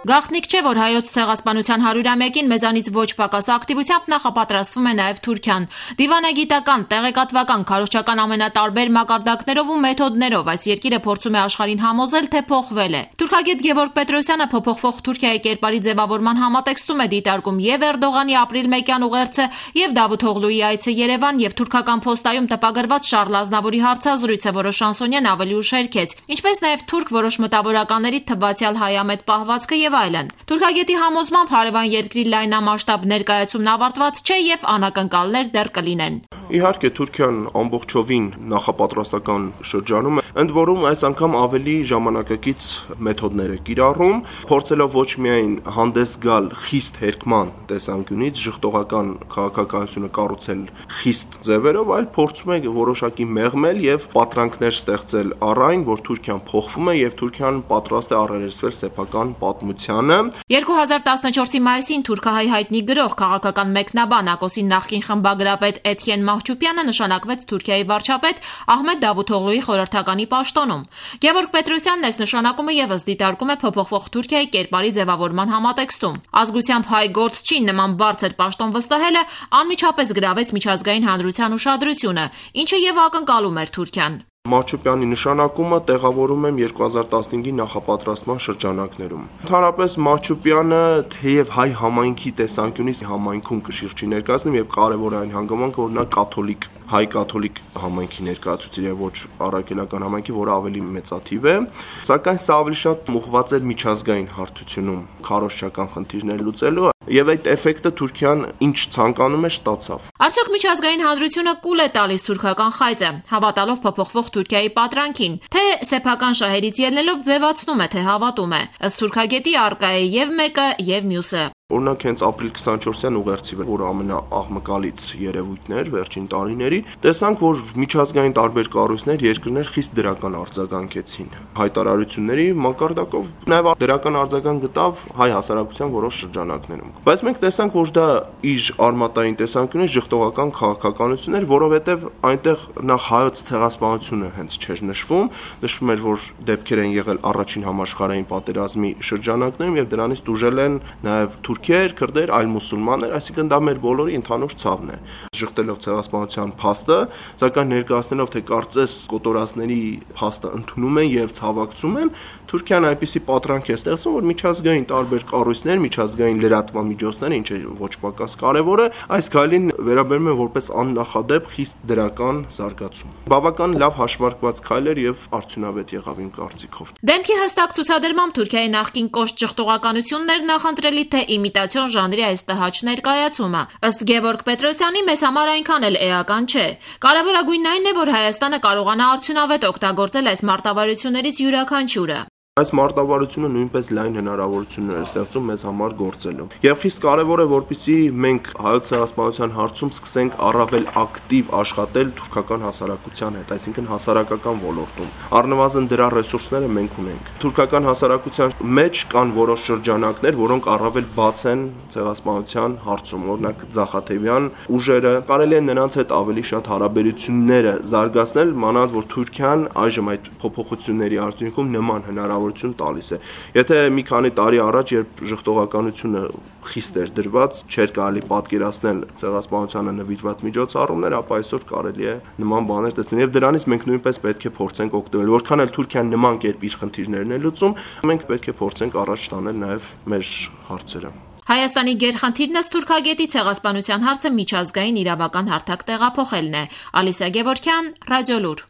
Գաղտնիք չէ, որ հայոց ցեղասպանության 100-ամյակին մեզանից ոչ պակաս ակտիվությամբ նախապատրաստվում է նաև Թուրքիան։ Դիվանագիտական, տեղեկատվական, քարոզչական ամենատարբեր մակարդակներով ու մեթոդներով այս երկիրը փորձում է աշխարհին համոզել, թե փոխվել է։ Թուրքագետ Գևորգ Պետրոսյանը փոփոխվող Թուրքիայի կերպարի ձևավորման համատեքստում է դիտարկում եւ Էրդողանի ապրիլ 1-յան ուղերձը, եւ Դավութ Օղլուի այցը Երևան, եւ թուրքական փոստայում տպագրված Շարլ Ազնավուրի հարցազրույցը, որը Շանսոնյան ավելի ուշ հերքեց, ինչպես նաեւ թուրք որոշ մտավորականների թվացյալ հայամետ պահվածքը եւ այլն։ Թուրքագետի համոզմամբ հարևան երկրի լայնամասշտաբ ներկայացումն ավարտված չէ եւ անակնկալներ դեռ կլինեն։ Իհարկե Թուրքիան ամբողջովին նախապատրաստական շրջանում է, ընդ որում այս անգամ ավելի ժամանակակից մեթոդներ է կիրառում, փորձելով ոչ միայն հանդես գալ խիստ հերկման տեսանկյունից, ժխտողական քաղաքականությունը կառուցել խիստ ձևերով, այլ փորձում է որոշակի մեղմել եւ պատրանքներ ստեղծել առ այն, որ Թուրքիան փոխվում է եւ Թուրքիան պատրաստ է առերեսվել սեփական պատմությանը։ 2014-ի մայիսին թուրքահայ հայտնի գրող քաղաքական մեկնաբան Ակոսի նախկին խմբագրապետ Էթյեն Մահչուպյանը նշանակվեց Թուրքիայի վարչապետ Ահմեդ Դավութօղլուի խորհրդականի պաշտոնում։ Գևորգ Պետրոսյանն այս նշանակումը եւս դիտարկում է փոփոխվող Թուրքիայի կերպարի ձևավորման համատեքստում։ Ազգությամբ հայ գործչի նման բարձր պաշտոն վստահելը անմիջապես գրավեց միջազգային հանրության ուշադրությունը, ինչը եւ ակնկալում էր Թուրքիան։ Մահչուպյանի նշանակումը տեղավորում եմ 2015-ի նախապատրաստման շրջանակներում։ Ընդհանրապես Մահչուպյանը թեև հայ համայնքի տեսանկյունից համայնքում կշիռ չի ներկայացնում եւ կարեւոր է այն հանգամանքը, որ նա կաթոլիկ հայ կաթոլիկ համայնքի ներկայացուցիչ է, ոչ առաքելական համայնքի, որը ավելի մեծաթիվ է, սակայն սա ավելի շատ ուղղված էր միջազգային հարթությունում քարոզչական խնդիրներ լուծելու եւ այդ էֆեկտը Թուրքիան ինչ ցանկանում էր ստացավ։ Արդյոք միջազգային հանրությունը կուլ է տալիս թուրքական խայծը, հավատալով փոփոխվող Թուրքիայի պատրանքին, թե սեփական շահերից ելնելով ձևացնում է, թե հավատում է։ Ըստ թուրքագետի առկա է եւ մեկը եւ մյուսը։ Օրինակ հենց ապրիլ 24-յան ուղերձի վրա, որը ամենաաղմկալից երևույթն էր վերջին տարիների, տեսանք, որ միջազգային տարբեր կառույցներ, երկրներ խիստ դրական արձագանքեցին հայտարարությունների մակարդակով, նաև դրական արձագանք գտավ հայ հասարակության որոշ շրջանակներում։ Բայց մենք տեսանք, որ դա իր արմատային տեսանկյունից ժխտողական քաղաքականություն էր, որովհետև այնտեղ նախ հայոց ցեղասպանությունը հենց չէր նշվում էր, որ դեպքեր են եղել առաջին համաշխարհային պատերազմի շրջանակներում եւ դրանից դուժել են նաև թուրքեր, քրդեր, այլ մուսուլմաններ, այսինքն դա մեր բոլորի ընդհանուր ցավն է։ Ժխտելով ցեղասպանության փաստը, սակայն ներկայացնելով, թե կարծես կոտորածների փաստը ընդունում են եւ ցավակցում են, Թուրքիան այնպիսի պատրանք է ստեղծում, որ միջազգային տարբեր կառույցներ, միջազգային լրատվամիջոցներ, ինչը ոչ պակաս կարևոր է, այս գալին վերաբերում են որպես աննախադեպ խիստ դրական զարգացում։ Բավական լավ հաշվարկված քայլ էր եւ արդյունավետ եղավ իմ կարծիքով։ Դեմքի հստակ ցուցադրմամբ Թուրքիայի նախկին կոշտ ժխտողականություններն նախընտրելի թե իմիտացիոն ժանրի այս տհաճ ներկայացումը։ Ըստ Գևորգ Պետրոսյանի մեզ համար այնքան էլ էական չէ։ Կարևորագույնն այն է, որ Հայաստանը կարողանա արդյունավետ օգտագործել այս մարտավարություններից յուրաքանչյուրը։ Այս մարտավարությունը նույնպես լայն հնարավորություններ է ստեղծում մեզ համար գործելու։ Եվ խիստ կարևոր է, որպեսզի մենք հայոց ցեղասպանության հարցում սկսենք առավել ակտիվ աշխատել թուրքական հասարակության հետ, այսինքն հասարակական ոլորտում։ Առնվազն դրա ռեսուրսները մենք ունենք։ Թուրքական հասարակության մեջ կան որոշ շրջանակներ, որոնք առավել բաց են ցեղասպանության հարցում, օրինակ Ձախաթևյան ուժերը, կարելի է նրանց հետ ավելի շատ հարաբերությունները զարգացնել, մանավանդ որ Թուրքիան այժմ այդ փոփոխությունների արդյունքում նման հնարավորություն տալիս է։ Եթե մի քանի տարի առաջ, երբ ժխտողականությունը խիստ էր դրված, չէր կարելի պատկերացնել ցեղասպանությանը նվիրված միջոցառումներ, ապա այսօր կարելի է նման բաներ տեսնել եւ դրանից մենք նույնպես պետք է փորձենք օգտվել։ Որքան էլ Թուրքիան նման կերպ իր խնդիրներն է լուծում, մենք պետք է փորձենք առաջ տանել նաեւ մեր հարցերը։ Հայաստանի գերխնդիրն ըստ թուրքագետի ցեղասպանության հարցը միջազգային իրավական հարթակ տեղափոխելն է։ Ալիսա Գևորգյան, Ռադիոլուր։